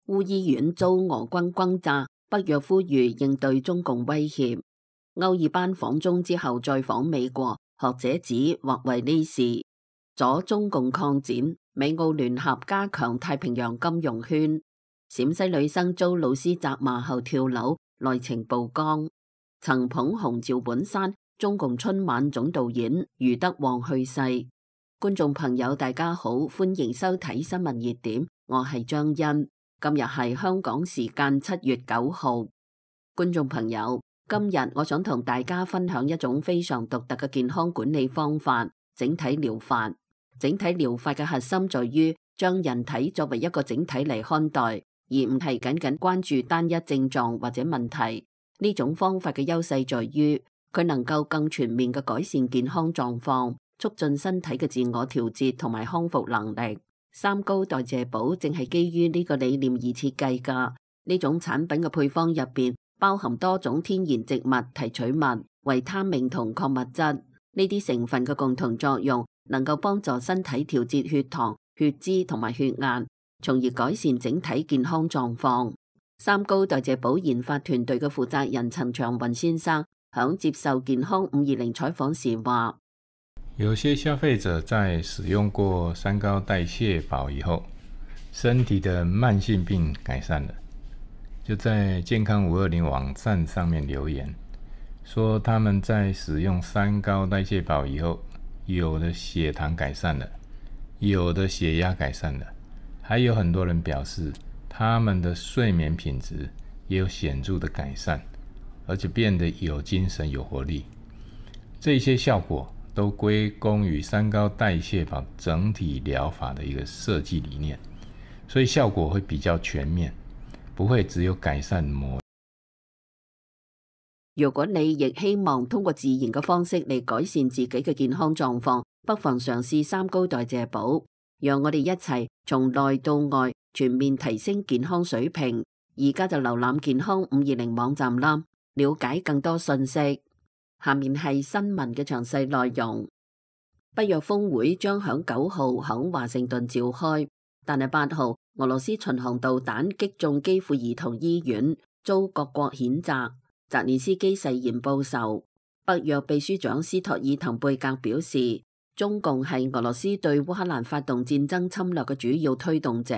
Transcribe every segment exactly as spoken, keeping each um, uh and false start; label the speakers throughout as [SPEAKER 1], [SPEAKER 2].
[SPEAKER 1] 烏醫院遭俄軍轟炸，北約呼籲應對中共威脅。歐爾班訪中之後再訪美國，學者指或為呢事阻中共擴展。美澳聯合加強太平洋金融圈。陝西女生遭老師責罵後跳樓，內情曝光。曾捧紅趙本山，中共春晚總導演余德旺去世。觀眾朋友大家好，歡迎收睇新聞熱點，我係張欣。今日係香港時間七月九號。觀眾朋友，今日我想同大家分享一種非常獨特嘅健康管理方法——整體療法。整體療法嘅核心在於將人體作為一個整體嚟看待，而唔係僅僅關注單一症狀或者問題。呢種方法嘅優勢在於佢能夠更全面嘅改善健康狀況，促進身體嘅自我調節同埋康復能力。三高代謝寶正係基於呢個理念而設計㗎。呢種產品嘅配方入邊包含多種天然植物提取物、維他命同礦物質。呢啲成分嘅共同作用能夠幫助身體調節血糖、血脂同埋血壓，從而改善整體健康狀況。三高代謝寶研發團隊嘅負責人陳長雲先生響接受健康五二零採訪時話：
[SPEAKER 2] 有些消費者在使用過三高代謝寶以後，身體的慢性病改善了，就在健康五二零網站上面留言，說他們在使用三高代謝寶以後，有的血糖改善了，有的血壓改善了，還有很多人表示他們的睡眠品質也有顯著的改善，而且變得有精神有活力。這些效果都歸功於三高代謝寶整體療法的一個設計理念，所以效果會比較全面，不會只有改善某。
[SPEAKER 1] 如果你亦希望通過自然嘅方式嚟改善自己嘅健康狀況，不妨嘗試三高代謝寶，讓我哋一齊從內到外全面提升健康水平。而家就瀏覽健康五二零網站啦，了解更多信息。下面係新聞嘅詳細內容。北約峰會將響九號響華盛頓召開，但係八號俄羅斯巡航導彈擊中基輔兒童醫院，遭各國譴責。澤連斯基誓言報仇。北約秘書長斯托爾滕貝格表示，中共係俄羅斯對烏克蘭發動戰爭侵略嘅主要推動者。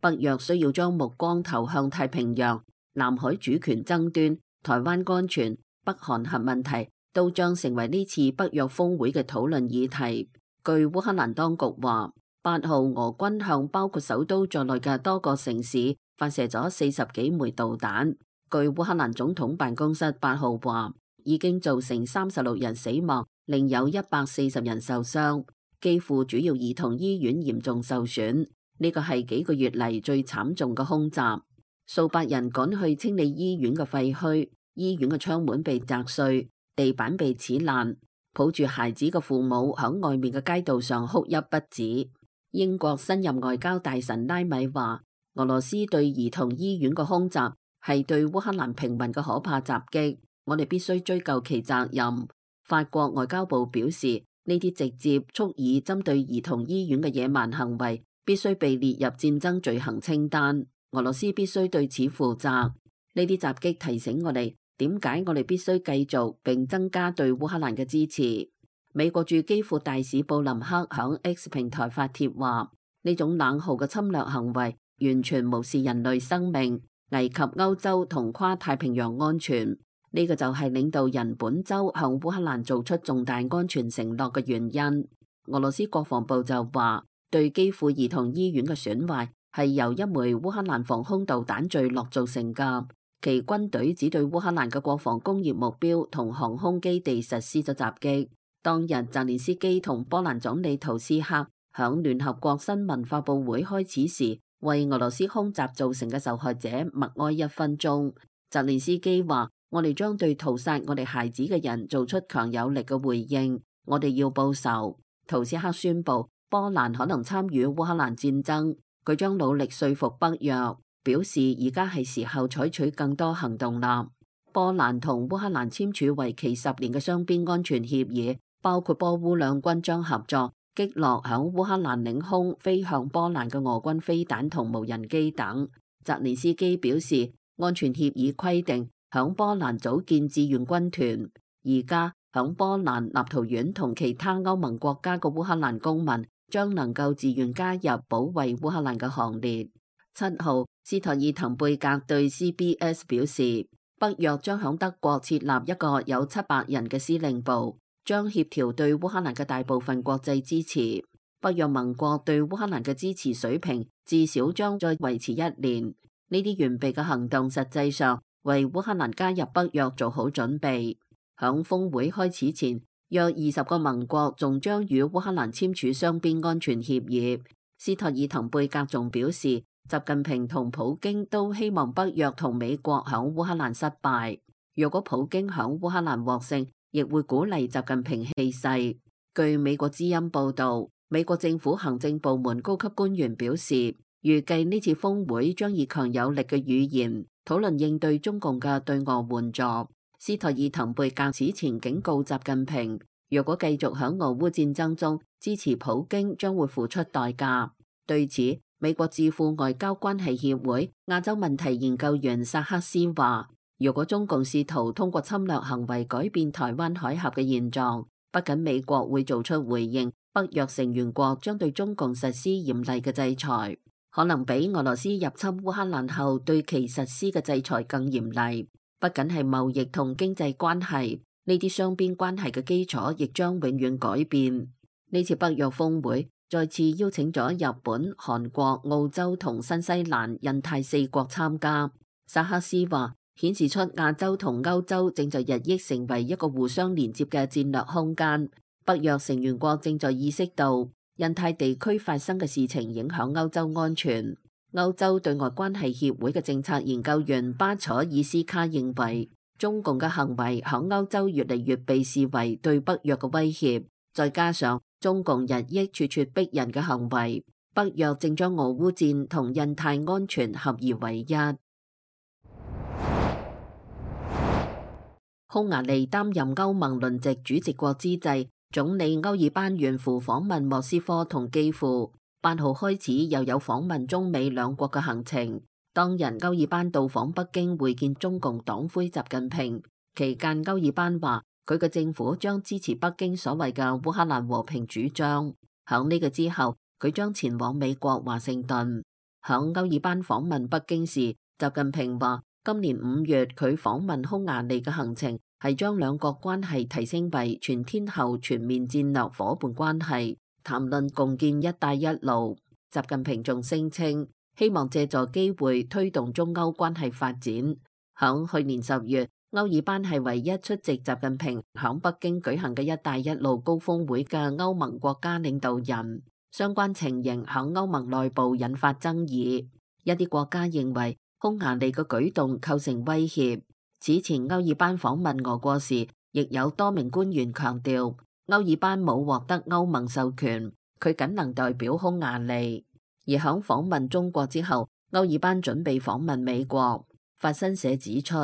[SPEAKER 1] 北約需要將目光投向太平洋、南海主權爭端、台灣安全、北韓核問題，都將成為呢次北約峰會嘅討論議題。據烏克蘭當局話，八號俄軍向包括首都在內嘅多個城市發射咗四十幾枚導彈。據烏克蘭總統辦公室八號話，已經造成三十六人死亡，另有一百四十人受傷。基輔主要兒童醫院嚴重受損，呢個係幾個月嚟最慘重嘅空襲。數百人趕去清理醫院嘅廢墟，醫院嘅窗門被砸碎，地板被撕爛。抱住孩子嘅父母響外面嘅街道上哭泣不止。英國新任外交大臣拉米話，俄羅斯對兒童醫院嘅空襲係對烏克蘭平民嘅可怕襲擊，我哋必須追究其責任。法國外交部表示，呢啲直接蓄意針對兒童醫院嘅野蠻行為必須被列入戰爭罪行清單，俄羅斯必須對此負責。呢啲襲擊提醒我哋，點解我哋必須繼續並增加對烏克蘭嘅支持。美國駐基輔大使布林克響 X 平台發帖話，呢種冷酷嘅侵略行為完全無視人類生命，危及歐洲同跨太平洋安全。呢、這個就係領導人本周向烏克蘭做出重大安全承諾嘅原因。俄羅斯國防部就話，對基輔兒童醫院嘅損壞係由一枚烏克蘭防空導彈墜落造成㗎。其軍隊只對烏克蘭嘅國防工業目標同航空基地實施咗襲擊。當日澤連斯基同波蘭總理圖斯克響聯合國新聞發佈會開始時，為俄羅斯空襲造成嘅受害者默哀一分鐘。澤連斯基話：我哋將對屠殺我哋孩子嘅人做出強有力嘅回應，我哋要報仇。圖斯克宣布波蘭可能參與烏克蘭戰爭，佢將努力說服北約，表示而家係時候採取更多行動啦。波蘭同烏克蘭簽署為期十年嘅雙邊安全協議，包括波烏兩軍將合作擊落響烏克蘭領空飛向波蘭嘅俄軍飛彈同無人機等。澤連斯基表示，安全協議規定響波蘭組建志願軍團，而家響波蘭、立陶宛同其他歐盟國家嘅烏克蘭公民將能夠自願加入保衛烏克蘭嘅行列。七號，斯托爾滕貝格對 C B S 表示，北約將響德國設立一個有七百人嘅司令部，將協調對烏克蘭嘅大部分國際支持。北約盟國對烏克蘭嘅支持水平至少將再維持一年。呢啲完備嘅行動實際上為烏克蘭加入北約做好準備。響峰會開始前，約二十個盟國仲將與烏克蘭簽署雙邊安全協議。斯托爾滕貝格仲表示，習近平同普京都希望北約同美國響烏克蘭失敗。若果普京響烏克蘭獲勝，亦會鼓勵習近平氣勢。據美國之音報道，美國政府行政部門高級官員表示，預計呢次峰會將以強有力嘅語言討論應對中共嘅對俄援助。斯托爾滕貝格此前警告習近平，若果繼續響俄烏戰爭中支持普京，將會付出代價。對此，美國智庫外交關係協會亞洲問題研究員薩克斯話，如果中共試圖通過侵略行為改變台灣海峽嘅現狀，不僅美國會做出回應，北約成員國將對中共實施嚴厲嘅制裁，可能比俄羅斯入侵烏克蘭後對其實施嘅制裁更嚴厲。不僅係貿易同經濟關係，呢啲雙邊關係嘅基礎亦將永遠改變。呢次北約峰會再次邀請咗日本、韓國、澳洲同新西蘭、印太四國參加。薩克斯話，顯示出亞洲同歐洲正在日益成為一個互相連接嘅戰略空間。北約成員國正在意識到印太地區發生嘅事情影響歐洲安全。歐洲對外關係協會嘅政策研究員巴楚爾斯卡認為，中共嘅行為響歐洲越嚟越被視為對北約嘅威脅，再加上中共日益咄咄逼人嘅行為，北約正將俄烏戰同印太安全合而為一。匈牙利擔任歐盟輪值主席國之際，總理歐爾班遠赴訪問莫斯科同基輔，八號開始又有訪問中美兩國嘅行程。當日歐爾班到訪北京會見中共黨魁習近平，期間歐爾班話佢嘅政府將支持北京所謂嘅烏克蘭和平主張。響呢個之後，佢將前往美國華盛頓。響歐爾班訪問北京時，習近平話今年五月佢訪問匈牙利嘅行程係將兩國關係提升為全天候全面戰略夥伴關係，談論共建一帶一路。習近平仲聲稱希望借助機會推動中歐關係發展。響去年十月，歐爾班係唯一出席習近平響北京舉行嘅一帶一路高峰會嘅歐盟國家領導人。相關情形響歐盟內部引發爭議，一啲國家認為匈牙利嘅舉動構成威脅。此前歐爾班訪問俄國時，亦有多名官員強調歐爾班冇獲得歐盟授權，佢僅能代表匈牙利。而響訪問中國之後，歐爾班準備訪問美國。法新社指出，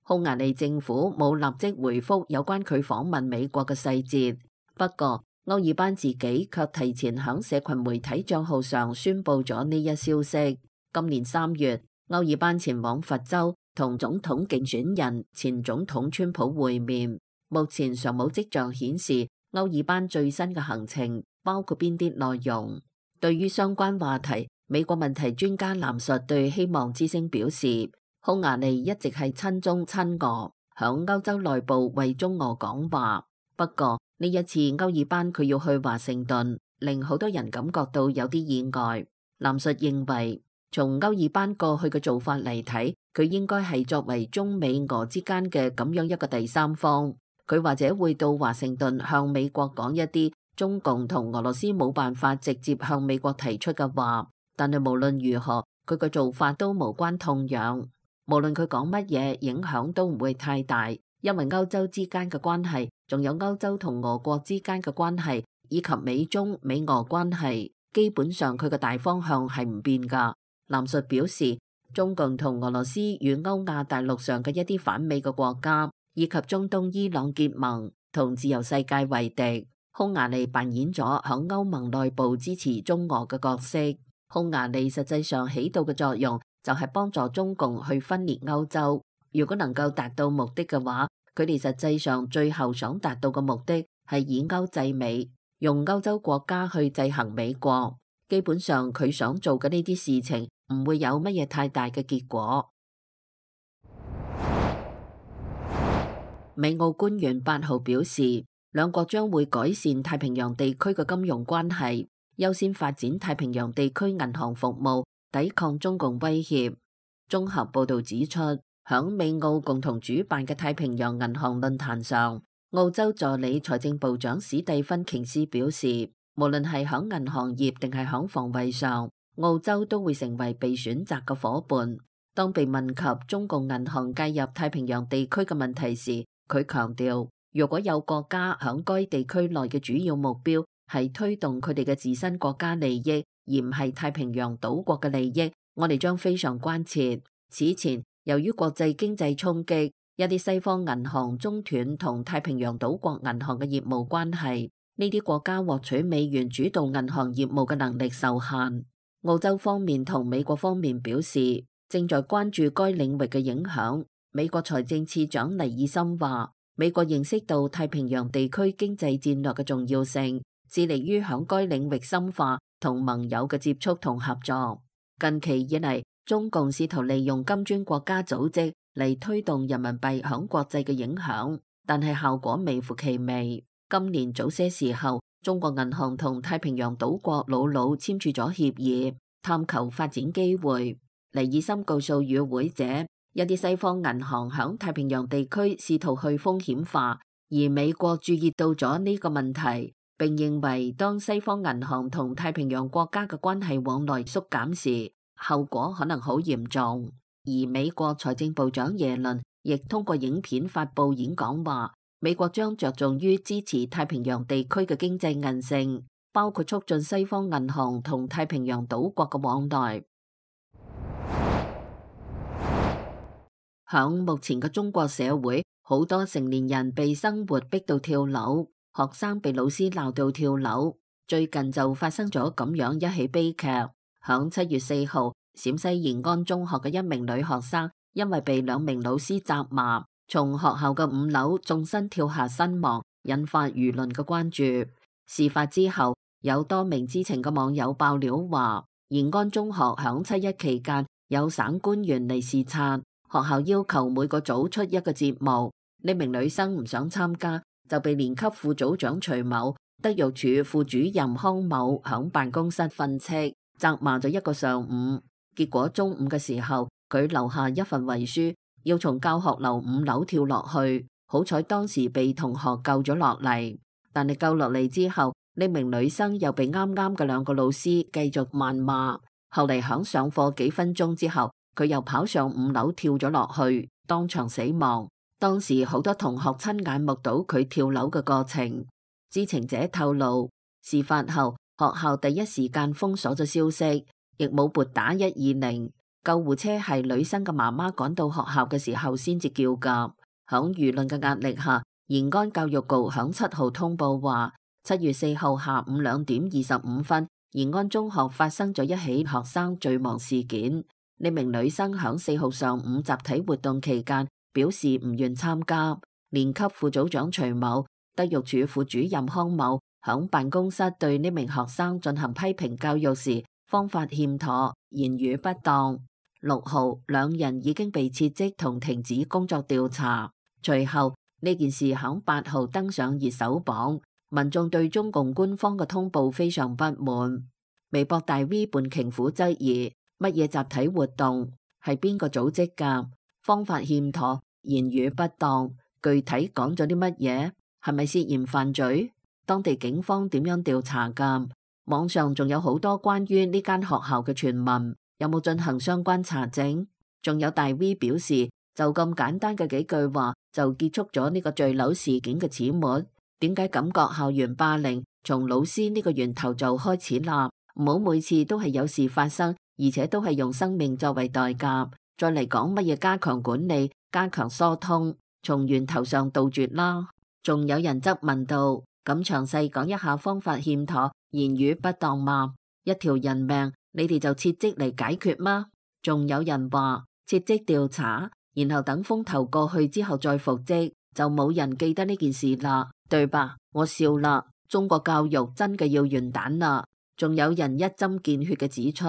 [SPEAKER 1] 匈牙利政府冇立即回覆有關佢訪問美國嘅細節，不過歐爾班自己卻提前響社群媒體賬號上宣布咗呢一消息。今年三月，歐爾班前往佛州同總統競選人前總統川普會面。目前尚冇跡象顯示歐爾班最新嘅行程包括邊啲內容。對於相關話題，美國問題專家藍述對希望之聲表示，匈牙利一直係親中親俄，響歐洲內部為中俄講話。不過呢一次歐爾班佢要去華盛頓，令好多人感覺到有啲意外。藍述認為，從歐爾班過去嘅做法嚟睇，佢應該係作為中美俄之間嘅咁樣一個第三方，佢或者會到華盛頓向美國講一啲中共同俄羅斯冇辦法直接向美國提出嘅話。但係無論如何，佢嘅做法都無關痛癢，無論佢講乜嘢，影響都唔會太大，因為歐洲之間嘅關係，仲有歐洲同俄國之間嘅關係，以及美中美俄關係，基本上佢嘅大方向係唔變噶。藍述表示，中共同俄羅斯與歐亞大陸上嘅一啲反美嘅國家，以及中東伊朗結盟，同自由世界為敵。匈牙利扮演咗響歐盟內部支持中俄嘅角色。匈牙利實際上起到嘅作用就係幫助中共去分裂歐洲。如果能夠達到目的嘅話，佢哋實際上最後想達到嘅目的係以歐制美，用歐洲國家去制衡美國。基本上佢想做嘅呢啲事情唔會有乜嘢太大嘅結果。美澳官員八號表示，兩國將會改善太平洋地區嘅金融關係，優先發展太平洋地區銀行服務，抵抗中共威脅。綜合報導指出，響美澳共同主辦嘅太平洋銀行論壇上，澳洲助理財政部長史蒂芬瓊斯表示，無論係響銀行業定係響防衛上，澳洲都會成為被選擇嘅夥伴。當被問及中共銀行介入太平洋地區嘅問題時，佢強調，如果有國家響該地區內嘅主要目標係推動佢哋嘅自身國家利益，而唔係太平洋島國嘅利益，我哋將非常關切。此前，由於國際經濟衝擊，一啲西方銀行中斷同太平洋島國銀行嘅業務關係，呢啲國家獲取美元主導銀行業務嘅能力受限。澳洲方面同美國方面表示，正在關注該領域嘅影響。美國財政次長尼爾森話，美國認識到太平洋地區經濟戰略嘅重要性，致力於響該領域深化同盟友嘅接觸同合作。近期以嚟，中共試圖利用金磚國家組織嚟推動人民幣響國際嘅影響，但係效果微乎其微。今年早些時候，中國銀行同太平洋島國瑙魯簽署咗協議，探求發展機會。尼爾森告訴與會者，一啲西方銀行響太平洋地區試圖去風險化，而美國注意到咗呢個問題，並認為當西方銀行同太平洋國家嘅關係往來縮減時，後果可能好嚴重。而美國財政部長耶倫亦通過影片發佈演講話，美國將着重於支持太平洋地區嘅經濟韌性，包括促進西方銀行同太平洋島國嘅往來。響目前嘅中國社會，好多成年人被生活逼到跳樓，學生被老師鬧到跳樓。最近就發生咗咁樣一起悲劇。響七月四號，陝西延安中學嘅一名女學生因為被兩名老師責罵，從學校嘅五樓縱身跳下身亡，引發輿論嘅關注。事發之後，有多名知情嘅網友爆料話，延安中學響七一期間有省官員嚟視察。學校要求每個組出一個節目，呢名女生唔想參加，就被年級副組長徐某、德育處副主任康某響辦公室訓斥，責罵咗一個上午。結果中午嘅時候，佢留下一份遺書，要從教學樓五樓跳落去。好彩當時被同學救咗落嚟，但係救落嚟之後，呢名女生又被啱啱嘅兩個老師繼續謾罵。後嚟響上課幾分鐘之後，佢又跑上五樓跳咗落去，當場死亡。當時好多同學親眼目睹佢跳樓嘅過程。知情者透露，事發後學校第一時間封鎖咗消息，亦冇撥打一二零。救護車係女生嘅媽媽趕到學校嘅時候先至叫㗎。響輿論嘅壓力下，延安教育局響七號通報話，七月四號下午兩點二十五分，延安中學發生咗一起學生墜亡事件。呢名女生響四號上午集體活動期間表示唔願參加。年級副組長徐某、德育處副主任康某響辦公室對呢名學生進行批評教育時，方法欠妥，言語不當。六號兩人已經被撤職同停止工作調查。隨後呢件事響八號登上熱搜榜，民眾對中共官方嘅通報非常不滿。微博大 V 半瓊虎質疑，乜嘢集體活動？係邊個組織㗎？方法欠妥，言語不當，具體講咗啲乜嘢？係咪涉嫌犯罪？當地警方點樣調查㗎？網上仲有好多關於呢間學校嘅傳聞，有冇進行相關查證？仲有大 V 表示，就咁簡單嘅幾句話就結束咗呢個墜樓事件嘅始末？點解感覺校園霸凌從老師呢個源頭就開始啦？唔好每次都係有事發生，而且都係用生命作為代價，再嚟講乜嘢加強管理、加強疏通，從源頭上杜絕啦。仲有人質問到，咁詳細講一下方法欠妥、言語不當嘛？一條人命，你哋就撤職嚟解決嗎？仲有人話撤職調查，然後等風頭過去之後再復職，就冇人記得呢件事啦，對吧？我笑啦，中國教育真嘅要完蛋啦。仲有人一針見血嘅指出，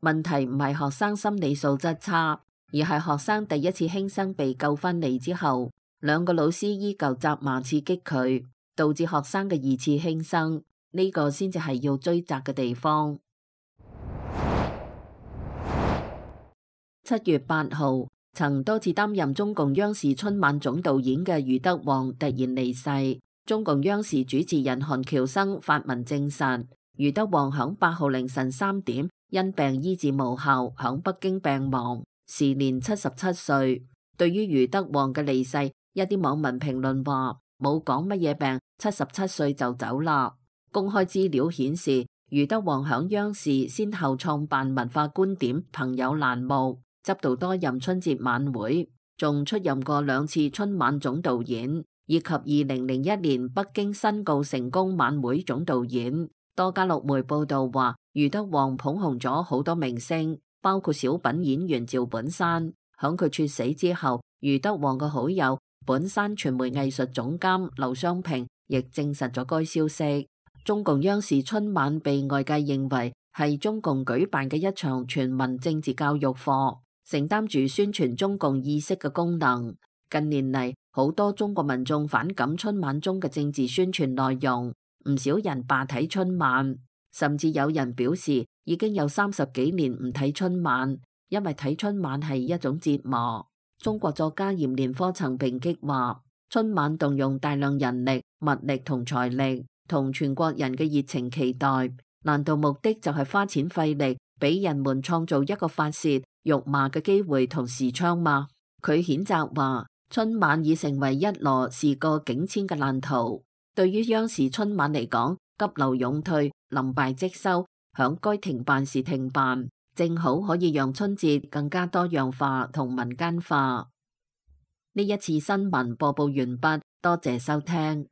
[SPEAKER 1] 問題唔係學生心理素質差，而係學生第一次輕生被救返嚟之後，兩個老師依舊責罵刺激佢，導致學生嘅二次輕生，呢個先至係要追責嘅地方。七月八號，曾多次擔任中共央視春晚總導演嘅余德旺突然離世。中共央視主持人韓喬生發文證實，余德旺響八號凌晨三點因病醫治無效，響北京病亡，時年七十七歲。對於余德旺嘅離世，一啲網民評論話冇講乜嘢病，七十七歲就走啦。公開資料顯示，余德旺響央視先後創辦文化觀點、朋友欄目，執導多任春節晚會，仲出任過兩次春晚總導演，以及二零零一年北京申告成功晚會總導演。多家陸媒報道話，余德旺捧紅咗好多明星，包括小品演員趙本山。響佢猝死之後，余德旺嘅好友本山傳媒藝術總監劉湘平亦證實咗該消息。中共央視春晚被外界認為係中共舉辦嘅一場全民政治教育課，承擔住宣傳中共意識嘅功能。近年嚟，好多中國民眾反感春晚中嘅政治宣傳內容，唔少人罷睇春晚，甚至有人表示已經有三十幾年唔睇春晚，因為睇春晚係一種折磨。中國作家閻連科曾抨擊話，春晚動用大量人力、物力同財力，同全國人嘅熱情期待，難道目的就係花錢費力，俾人們創造一個發洩、辱罵嘅機會同視窗嗎？佢譴責話，春晚已成為一籮事過境遷嘅爛圖。對於央視春晚嚟講，急流勇退、臨敗即收，響該停辦時停辦，正好可以讓春節更加多樣化同民間化。呢一次新聞播報完畢，多謝收聽。